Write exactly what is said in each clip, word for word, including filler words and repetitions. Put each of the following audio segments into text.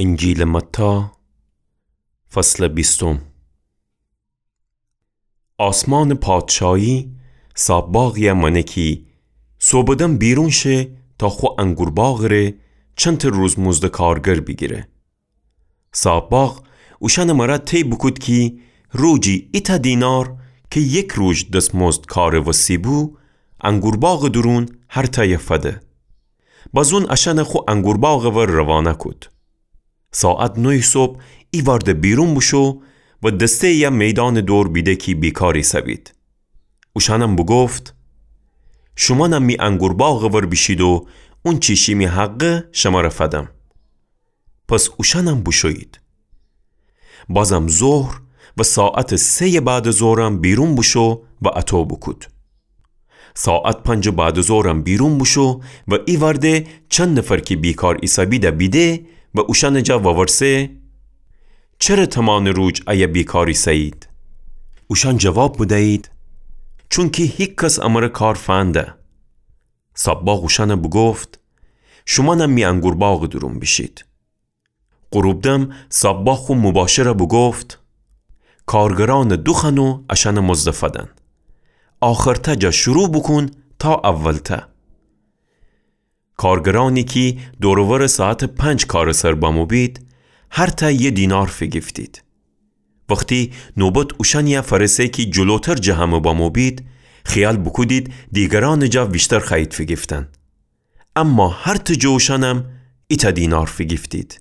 انجیلٚ متی، فصلٚ بیستم. آسمانٚ پادشاهی صاحب‌باغی‌یَ مأنه کی صوبٚ دم بیرون شه تا خو انگورباغٚ ره چنته روزمزدٚ کارگر بیگیره. صاحب‌باغ اوشأنٚ مرأ طی بوکود کی روجی ایتأ دینار کی یک روج دسمزد کارٚ وسی بو، انگورباغٚ دورون هر تأیَ فده. بازون اشأنَ خو انگورباغٚ ور روانه کود. ساعت نویٚ صبح ایوأرده بیرون بوشو و دسته‌یَ میدانٚ دور بیده کی بیکار ایسه‌بید. اوشأنم بوگفت: شومأنم می انگورباغٚ ور بیشید و اونچی شیمی حقه شمره فدم. پس اوشأنم بوشویید. بازم ظهر و ساعتٚ سه‌یٚ بعدٚ ظهرم بیرون بوشو و اطو بوکود. ساعت پنجٚ بعدٚ ظهرم بیرون بوشو و ایوأرده چند نفر کی بیکار ایسه‌بید بیده و اوشأنٚ جا وورسه: چره تمانٚ روج ایه بیکار ایسه‌یید؟ اوشأن جواب بدیید: چونکی هیکس امره کار فنده. صاحب‌باغ اوشأنَ بوگفت: شومأنم می انگورباغٚ دورون بیشید. غروب دم صاحب‌باغ خو مباشرَ بوگفت: کارگرأنَ دوخوأن و اشأنٚ مزدَ فدن. آخرتأ جا شروع بوکون تا اولتأ. کارگرأنی کی دور و ورٚ ساعتٚ پنج کارٚ سر بمو بید، هر تأ یه دینار فیگیفتید. وختی نوبت اوشأنی‌یَ فأرسه کی جلوتر جٚه همه بمو بید، خیال بوکودید دیگرأنٚ جا ویشتر خوأیید فیگیفتن. اما هر تأ جٚه اوشأنم ایتأ دینار فیگیفتید.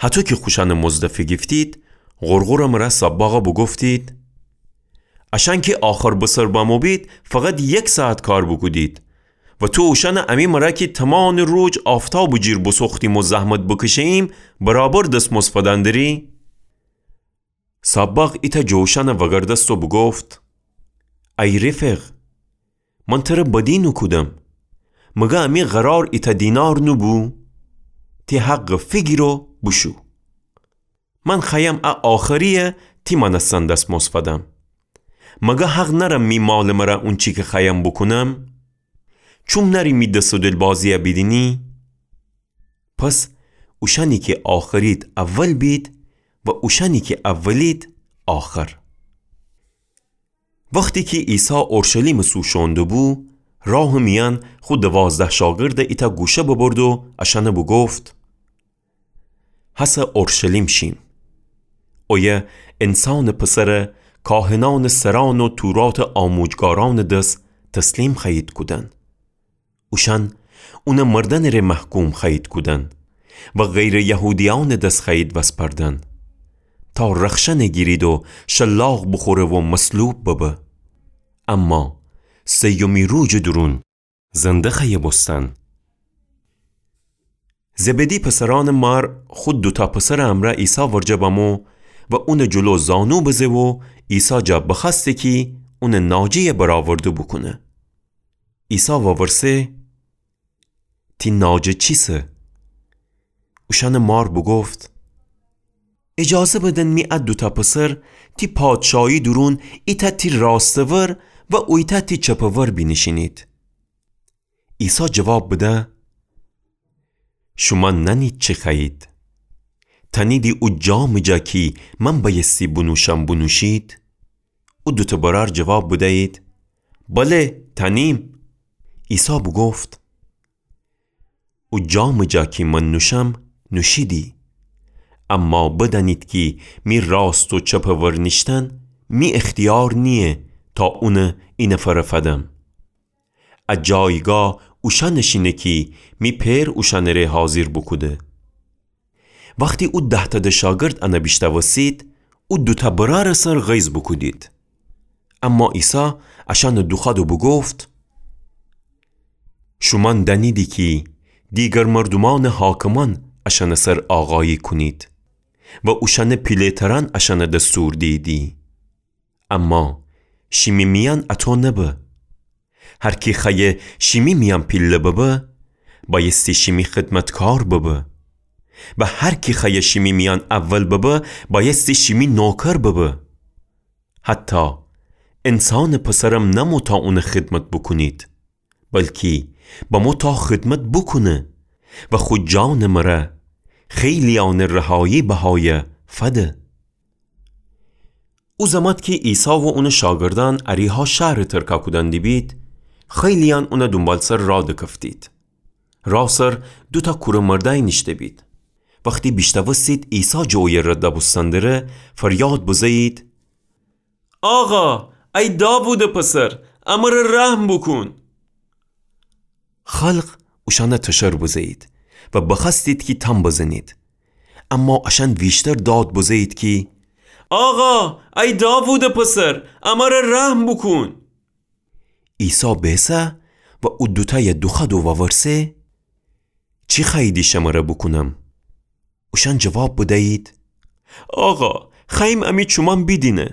هطو کی خوشأنٚ مزدَ فیگیفتید، غرغرٚ مرأ صاحب‌باغَ بوگفتید: اشأن کی آخر بسر بمو بید، فقط یک ساعت کار بوکودید و تو اوشأنَ امی مرأ کی تمانٚ روج آفتابٚ جیر بوسوختیم و زحمت بکشه‌ییم، برابر دسمزد فدن دری؟ صاحب‌باغ ایتأ جٚه اوشأنَ وأگردست و بوگفت: ای رفیق، من تره بدی نوکودم. مگه امی قرار ایتأ دینار نوبو؟ تی حقَ فیگیر و بوشو. من خوأیم ا آخری‌یَ تی مأنستن دسمزد فدم. مگه حق نأرم می مالٚ مرأ اونچی کی خوأیم بوکونم؟ چوم نأری می دس و دلبازی‌یَ بیدینی؟ پس اوشأنی کی آخرید اول بید و اوشأنی کی اولید آخر. وختی کی عیسی اورشلیمٚ سو شوئون دوبو، راهٚ میأن خو دوازده شاگردَ ایتأ گوشه ببرد و اشأنَ بوگفت: هسه اورشلیم شیم. اویه انسانٚ پسرَ کاهنأنٚ سرأن و توراتٚ آموجگارأنٚ دس تسلیم خوأیید کودن. اوشأن اونَ مردنٚ ره محکوم خوأیید کودن و غیرٚ یهودیأنٚ دس خوأیید وسپردن، تا رخشأنَ گیرید و شلاق بوخوره و مصلوب ببه. اما سیمی روجٚ دورون زنده خوأیه بوستن. زبدی پسرأنٚ مار خو دوتأ پسرٚ امرأ عیسی ورجه بمو و اونٚ جلو زانو بزه و عیسی جا بخوأسته کی اونٚ ناجه‌یَ برآورده بوکونه. عیسی وورسه: تی ناجه چیسه؟ اوشأنٚ مار بوگفت: ایجازه بدن می ا دوتأ پسر تی پادشاهی دورون ایتأ تی راستٚ ور و اویتأ تی چپٚ ور بینیشینید. عیسی جواب بده: شومأن نأنید چی خوأیید. تأنیدی او جامٚ جا کی من بأیستی بونوشم بونوشید؟ او دوتأ برأر جواب بدیید: بله، تأنیم. عیسی بوگفت: او جامٚ جا کی من نوشم، نوشیدی. اما بدأنید کی می راست و چپٚ ور نیشتن می اختیار نییه تا اونَ ای نفرَ فدم. ا جایگاه اوشأنٚ شینه کی می پئر اوشأنٚ ره حاضر بوکوده. وختی او ده‌تأدٚ شاگرد انَ بیشنوستید، او دوتأ برأرٚ سر غیظ بوکودید. اما عیسی اشأنَ دوخوأد و بوگفت: شومأن دأنیدی کی دیگر مردومأنٚ حاکمأن اشأنٚ سر آقایی کونید و اوشأنٚ پیله‌ترأن اشأنَ دستور دییدی. اما شیمی میأن اطو نبه. هر کی خوأیه شیمی میأن پیله ببه، بأیستی شیمی خدمتکار ببه. و هر کی خوأیه شیمی میأن اول ببه، بأیستی شیمی نوکر ببه. حتی انسانٚ پسرم نمو تا اونٚ خدمت بوکونید، بلکی بمو تا خدمت بوکونه و خو جانٚ مره خیلیأنٚ رهایی بهایَ فده. او زمات کی عیسی و اونٚ شاگردأن اریحا شهرٚ ترکا کودن دیبید، خیلیأن اونٚ دونبالسر راه دکفتید. راه سر دوتأ کورٚ مردأی نیشته‌بید. وختی بیشتأوستید عیسی جٚه اویه رد بوستن دره، فریاد بزه‌یید: آقا، ای داوودٚ پسر، امر رحم بوکون. خلق اوشأن تشر بزه‌یید و بخوأستید کی تام بزنید. اما اشأن ویشتر داد بزه‌یید کی: آقا، ای داوودٚ پسر، امر رحم بوکون. عیسی بیسه و او دوتأی دوخوأد و وورسه: چی خوأییدی شمر بوکونم؟ اوشأن جواب بدیید: آقا، خوأییم امی چومأن بیدینه.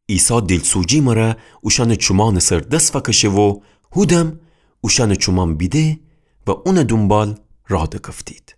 عیسی دیلسوجی مره اوشأنٚ چومأنٚ سر دس فکشه و هودم اوشأنٚ چومأن بیده و اونٚ دونبال راه دکفتید.